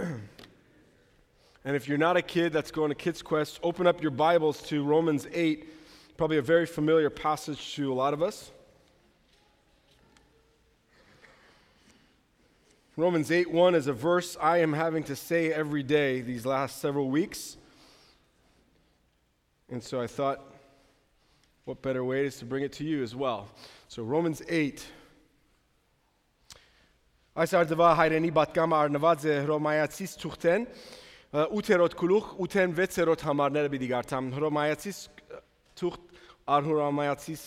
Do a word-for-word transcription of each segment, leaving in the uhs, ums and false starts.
And if you're not a kid that's going to Kids Quest, open up your Bibles to Romans eight, probably a very familiar passage to a lot of us. Romans eight one is a verse I am having to say every day these last several weeks. And so I thought, what better way is to bring it to you as well. So Romans eight. Այս արդվա հայրենի պատգամը արնված է Հռոմայացիս թուղթեն ութերորդ գլուխ ութեն վեցերորդ համարները պիտի գարտամ Հռոմայացիս թուղթ Հռոմայացիս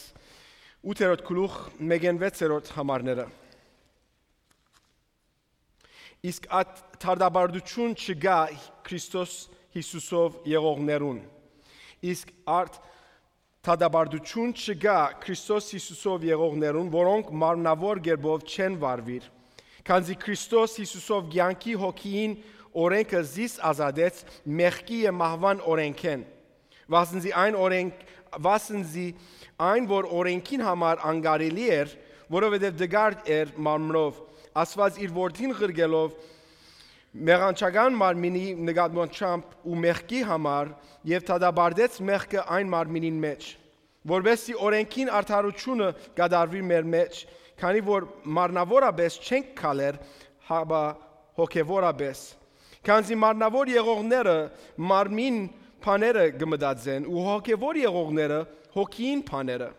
ութերորդ գլուխ մեկեն վեցերորդ համարները Իսկ այդ թարդաբարդություն չգա Քրիստոս Հիսուսով եղողներուն Իսկ արդ թարդաբարդություն չգա Քրիստոս Հիսուսով եղողներուն որոնք մարմնավոր գերբով չեն վարվիր Քանզի Քրիստոս Հիսուսով ցանկի հոգին օրենքը զիս ազատեց մեղքի եւ մահվան օրենքեն վասնզի այն օրենք վասնզի այն որ օրենքին համար անգարելի էր որովհետեւ դգարդ էր մարմնով ասված իր որդին ղրգելով մեղանչական մարմինի նկատմամբ ու մեղքի համար եւ թադաբարդեց մեղքը այն մարմինին մեջ որովհետեւ օրենքին արդարությունը կդարվի մեր մեջ Քանի որ մարմնավորապես չենք քալեր, հաբա հոգևորապես։ Քանզի մարմնավոր եղողները մարմին բաները գմդածեն ու հոգևոր եղողները հոգին բաները։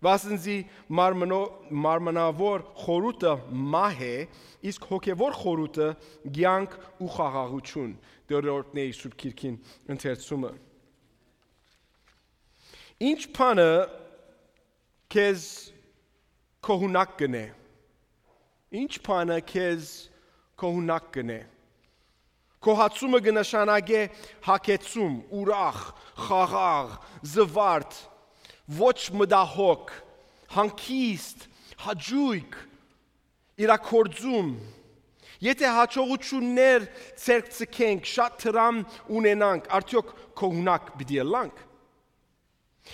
Վասնզի մարմնավոր խորհուրդը մահ է, իսկ հոգևոր խորհուրդը ցանկ ու խաղաղություն։ Դերորդների Սուրբ Քիրքին ընթերցումը։ Ինչ բանը քեզ Kohunակ գնե Ինչ բանը քեզ kohunակ գնե Քոհացումը կնշանակե հակեցում, ուրախ, խաղաղ, զվարթ, ոչ մտահոգ, հանգիստ, հաճույք, իրաքործում Եթե հաջողություններ ցերկ ցկենք, շատ տրամ ունենանք, արդյոք kohunակ պիտի ելանք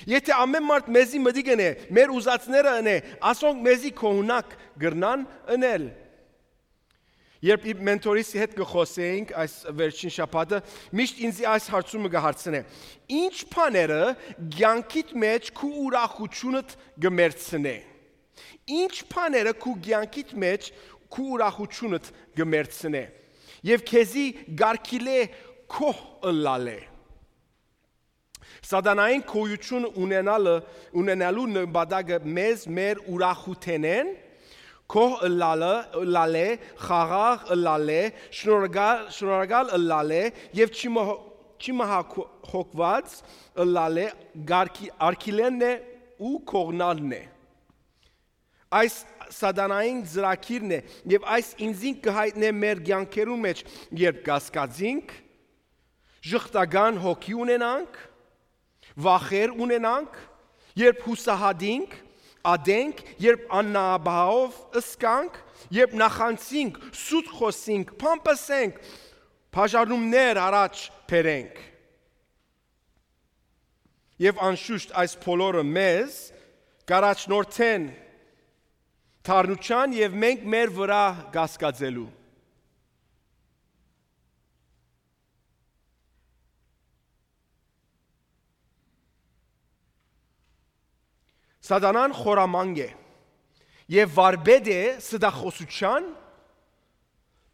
Եթե ամեն մարդ մեզի մտի գնե, մեր ուզածները ընե, ասոնք մեզի kohunակ գրնան ընել Երբ մենտորիս հետ կխոսեինք այս վերջին շաբաթը, միշտ ինձ այս հարցումը կհարցնե Ինչ բաները ցանկիդ մեջ քու ուրախությունդ կմերցնե Ինչ բաները քու ցանկիդ մեջ քու ուրախությունդ կմերցնե Եվ քեզի գարկիլե քո ըլլալե Սատանային քոյություն ունենալը ունենալու նպատակը մեզ մեր ուրախութենեն քո ըլլալը ըլլալե խաղաղ ըլլալե շնորհակալ շնորհակալ ըլլալե եւ չմահոգված ըլլալե գարկի արքիլենն է ու կողնալն է Այս սատանային ծրագիրն է եւ այս ինձին կհայտնե մեր ցանկերուն մեջ երբ կասկածինք ժխտական հոգի ունենանք Վախեր ունենանք, երբ հուսահատինք, ադենք, երբ աննաբահով ըսկանք, երբ նախանցինք, սուտ խոսինք, փամփսենք, բաժանումներ առաջ բերենք։ Եվ անշուշտ այս բոլորը մեզ կառաջնորդեն թարնության եւ մենք մեր վրա կասկածելու։ Սատանան խորամանկ է եւ վարբեդ է սդախոսության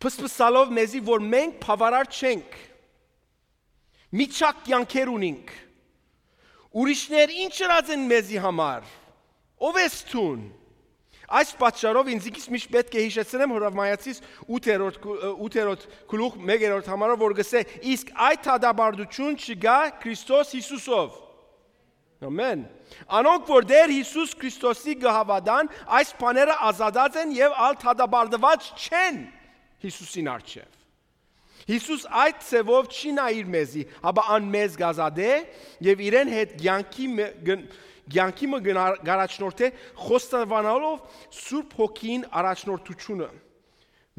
փսփսալով մեզի որ մենք բավարար չենք միչակ կյանքեր ունենք ուրիշներ ինչ ըրած են մեզի համար ով ես ցուն Այս պատճառով ինձ միշտ պետք է հիշեցնեմ Հռոմայացիս ութերորդ գլուխ մեկերորդ համարը որ գսե իսկ այդ թադաբարդություն չգա Քրիստոս Հիսուսով Amen. Անոնք որ դեր Հիսուս Քրիստոսի գահավադան այս բաները ազատած են եւ ալ թադաբարդված չեն Հիսուսին արչեւ Հիսուս այդ ցևով չի նայիր մեզի, հաբա ան մեզ գազադե եւ իրեն հետ ցանկի ցանկի մը գարաչնորթե խոստովանալով Սուրբ Հոգին առաջնորդությունը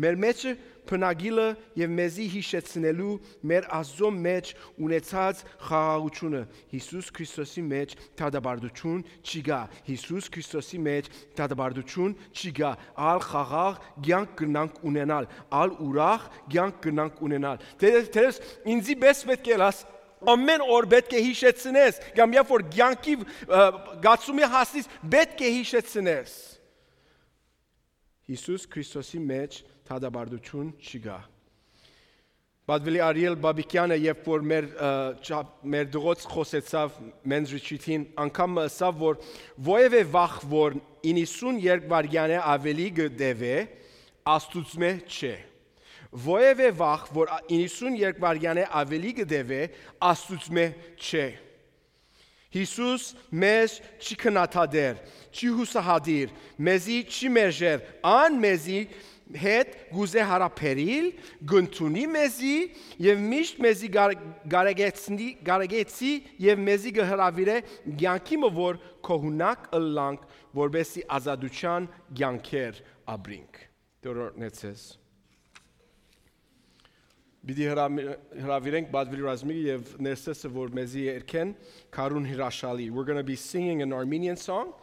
Մեր մեջ բնագիլը եւ մեզի հիշեցնելու մեր Աստծո մեջ ունեցած խաղաղությունը Հիսուս Քրիստոսի մեջ դադարդություն չկա Հիսուս Քրիստոսի մեջ դադարդություն չկա ալ խաղաղ կյանք կնանք ունենալ ալ ուրախ կյանք կնանք ունենալ դες ինձի պես պետք է լաս ամեն օր պետք է հիշեցնես կամ երբ որ կյանքի գացումի հասնես պետք է հիշեցնես Հիսուս Քրիստոսի մեջ դադարդություն չկա Պատվելի Արիել Բաբիկյանը երբ որ մեր մեր դղոց խոսեցավ մենզրիչին անգամ ասավ որ ովևէ վախ որ իննսուն երկվարյան է ավելի գդեվե աստուծմե չէ Ովևէ վախ, որ իննսուն երկվարյան է ավելի գդեվե, աստուծմե չէ։ Հիսուս մեզ չի քնաթադեր, չի հուսահադիր, մեզի չի մերժեր, ան մեզի հետ գուզե հարապերիլ, գնթունի մեզի և միշտ մեզի գարեգեցի և մեզի գհրավիր է գյանքի մվոր կողունակ ըլլանք, որբեսի ազադության գյանքեր աբրինք։ Դորորնեցես։ Բիդի հրավիրենք Բադվիլ Ռազմիկը եւ ներսեսը որ մեզի երկեն Karun Hirashali. We're going to be singing an Armenian song